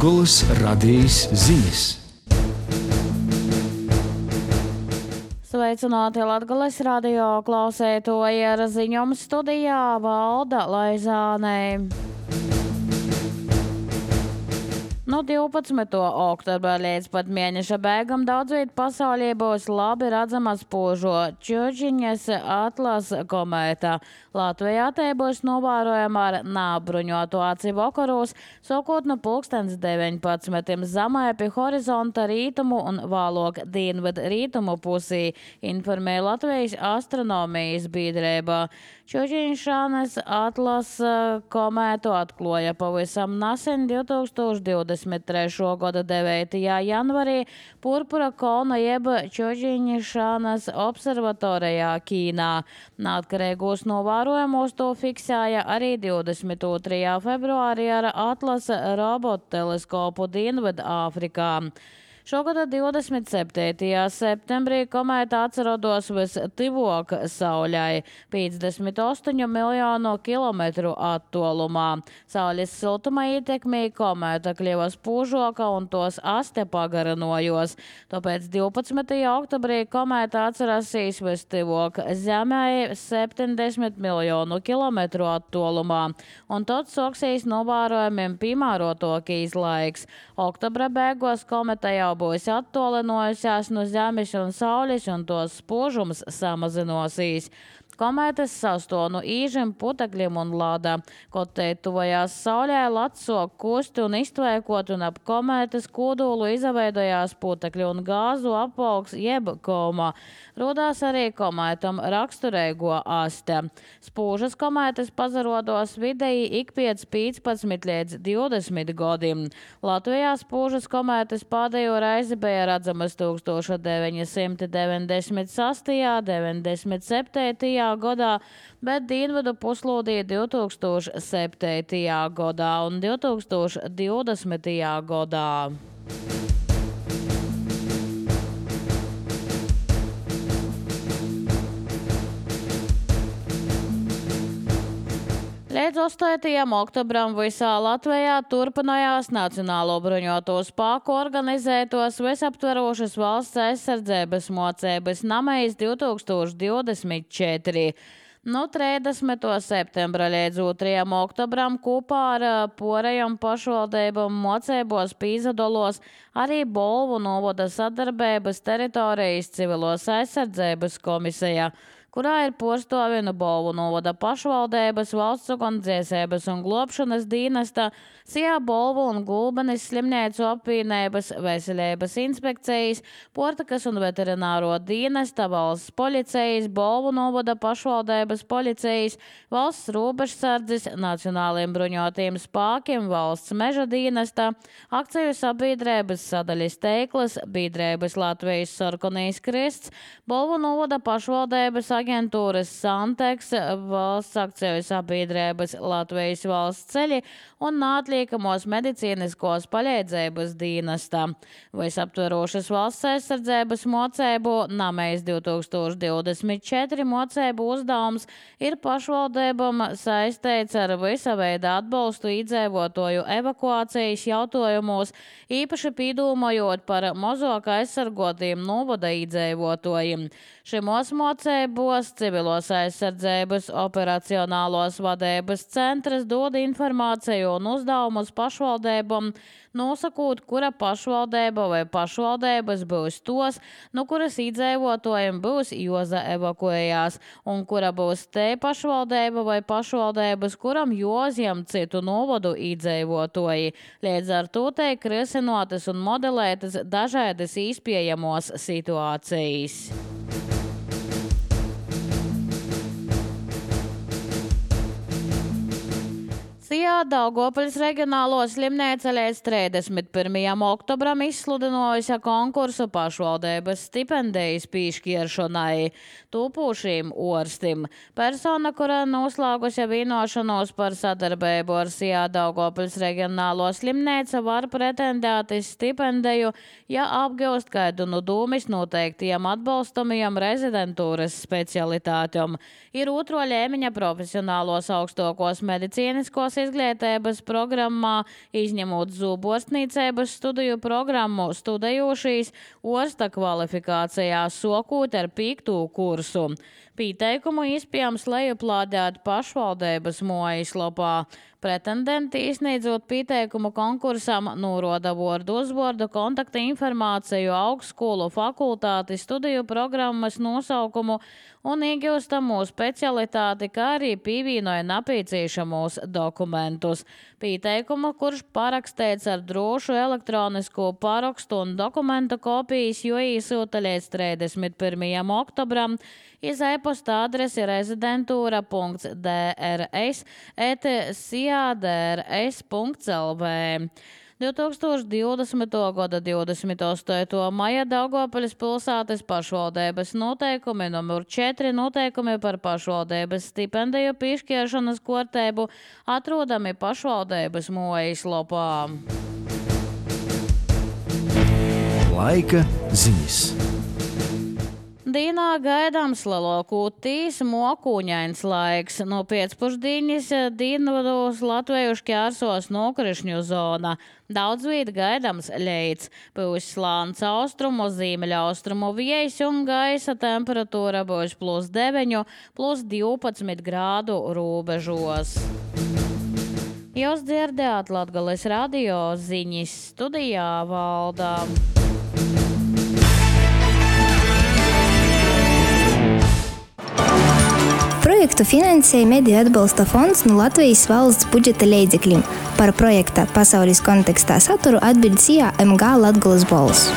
Latgolas radījis ziņas. Sveicināti Latgolas radio klausētoji, ar ziņojumu studijā Valda Laizāne. No 12. oktobra līdz pat mēneša beigām daudz viet pasaulē būs labi redzama spožo Čioģiņas Atlas komēta. Latvijā te būs novērojama ar nābruņotu aci vakaros, sākot no 19. zemē pie horizonta rītumu un vēlāk dienvidu rītumu pusī, informēja Latvijas astronomijas biedrība. Čioģiņas Atlas komētu atklāja pavisam nesen 2023. gada 9. janvarī Purpura kolna jeb Čioģiņas observatorijā Ķīnā. Neatkarīgos novērojumos to fiksēja arī 22. februārī ar Atlas robotu teleskopu Dienvidu Āfrikā. Šogad 27. septembrī komēta atrodas vistuvāk Saulei - 58 miljonu kilometru attālumā. Saules siltuma ietekmē komēta kļuva spožāka un tos aste pagarinājās. Tāpēc 12. oktobrī komēta atradīsies vistuvāk Zemei 70 miljonu kilometru attālumā, un tad sāksies novērojumiem piemērotākais laiks. Oktobra beigās komēta jau būs attālinājusies no Zemes un Saules, un tos spožums samazinosies. Komētas sastāv no īžiem, putekļiem un lada. Kaut te tuvojās Saulē, lats sāk kust un iztvēkot, un ap komētas kodolu izveidojās putekļu un gāzu apaugs jeb koma. Rodās arī komētam raksturīgo aste. Spožas komētas pazarodos vidēji ik pēc 15 līdz 20 gadiem. Latvijā spožas komētas pēdējo reizi bija redzamas 1996., 97. gadā, bet dienvidu puslodī 2007. gadā un 2020. gadā. Līdz 8. oktobram visā Latvijā turpinājās Nacionālo bruņoto spēku organizētos visaptverošas valsts aizsardzības mocības namējas 2024. No 30. septembra līdz 2. oktobram kopā ar porejām pašvaldībām mocībos pīzadolos arī Bolvu novada sadarbības teritorijas civilos aizsardzības komisija, kurā ir porstovienu Bolvu novada pašvaldības, valsts ugunsdzēsības un globšanas dienesta, Sijā Bolvu un Gulbenes slimnīcu apvienības, veselības inspekcijas, portakas un veterināro dienesta, valsts policijas, Bolvu novada pašvaldības policijas, valsts robežsardzes, nacionāliem bruņotajiem spēkiem, valsts meža dienesta, akciju sabiedrības sadaļas Teiklas, biedrības Latvijas Sarkanais Krists, Bolvu novada pašvaldības aģentūras Santeks, valsts akciju sabiedrības Latvijas valsts ceļi un neatliekamos medicīniskos palīdzības dienesta. Visaptverošas valsts aizsardzības mocību namējas 2024 mocību uzdevums ir pašvaldībām saistīts ar visa veida atbalstu iedzīvotāju evakuācijas jautājumos, īpaši pīdūmojot par mazāk aizsargotiem novada iedzīvotājiem. Šimos mocībos civilos aizsardzības operacionālos vadības centrs dod informāciju un uzdevumus pašvaldībām, nosakot, kura pašvaldība vai pašvaldības būs tos, no kuras iedzīvotājiem būs jāevakuējās, un kura būs te pašvaldība vai pašvaldības, kuram jāuzņem citu novadu iedzīvotāji. Līdz ar to tiek risinotas un modelētas dažādas iespējamos situācijas. Sijā Daugavpils reģionālo slimnīca līdz 31. oktobram izsludinājusi konkursu pašvaldības stipendijas piešķiršanai tūpošiem orstim. Persona, kura noslēgusi vienošanos par sadarbību ar Sijā Daugavpils reģionālo slimnīcu, var pretendēt uz stipendiju, ja apgūst kādu no dūmis noteiktiem atbalstamajiem rezidentūras specialitātiem. Ir otro līmeņa profesionālos augstākos medicīniskos izglītības programmā, izņemot zūborstnīcības studiju programmu, studējošīs orsta kvalifikācijā sokūt ar 5. kursu. Pīteikumu iespējams lejuplādēt pašvaldības mājaslapā. Pretendenti izsniedzot pieteikumu konkursam noroda vārdu uzvārdu, kontakta informāciju, augstskolu, fakultāti, studiju programmas nosaukumu un iegūstamo specialitāti, kā arī pievienoja nepieciešamos dokumentus. Pieteikumu, kurš parakstīts ar drošu elektronisko parakstu un dokumentu kopijas, jo īsūta līdz 31. oktobram, iz e-posta adresi rezidentūra.drs@siadrs.lv. 2020. gada 28. maija Daugavpils pilsētas pašvaldības noteikumi numur 4 noteikumi par pašvaldības stipendiju piešķiršanas kārtību atrodami pašvaldības mājaslapā. Laika ziņas. Dīnā gaidāms lielākoties mokūņains laiks. No pēcpusdienas dienvidos Latviju šķērsos nokrišņu zona. Daudz viet gaidāms leits. Būs slāns austrumu, ziemeļaustrumu vējs un gaisa temperatūra būs +9, +12 grādu robežos. Jūs dzirdējāt Latgales radio ziņas, studijā Valda. Projektu finansēja Mediju atbalsta fonds no Latvijas valsts budžeta līdzekļiem. Par projekta pasaules kontekstā saturu atbild MG Latgales balss.